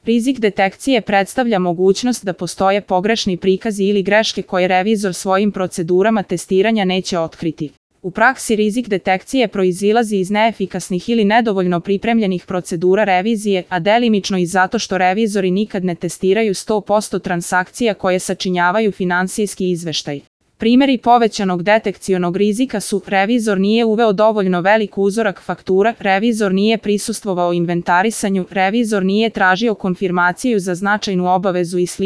Rizik detekcije predstavlja mogućnost da postoje pogrešni prikazi ili greške koje revizor svojim procedurama testiranja neće otkriti. U praksi rizik detekcije proizilazi iz neefikasnih ili nedovoljno pripremljenih procedura revizije, a delimično i zato što revizori nikad ne testiraju 100% transakcija koje sačinjavaju finansijski izveštaj. Primeri povećanog detekcionog rizika su: revizor nije uveo dovoljno velik uzorak faktura, revizor nije prisustvovao inventarisanju, revizor nije tražio konfirmaciju za značajnu obavezu i sl.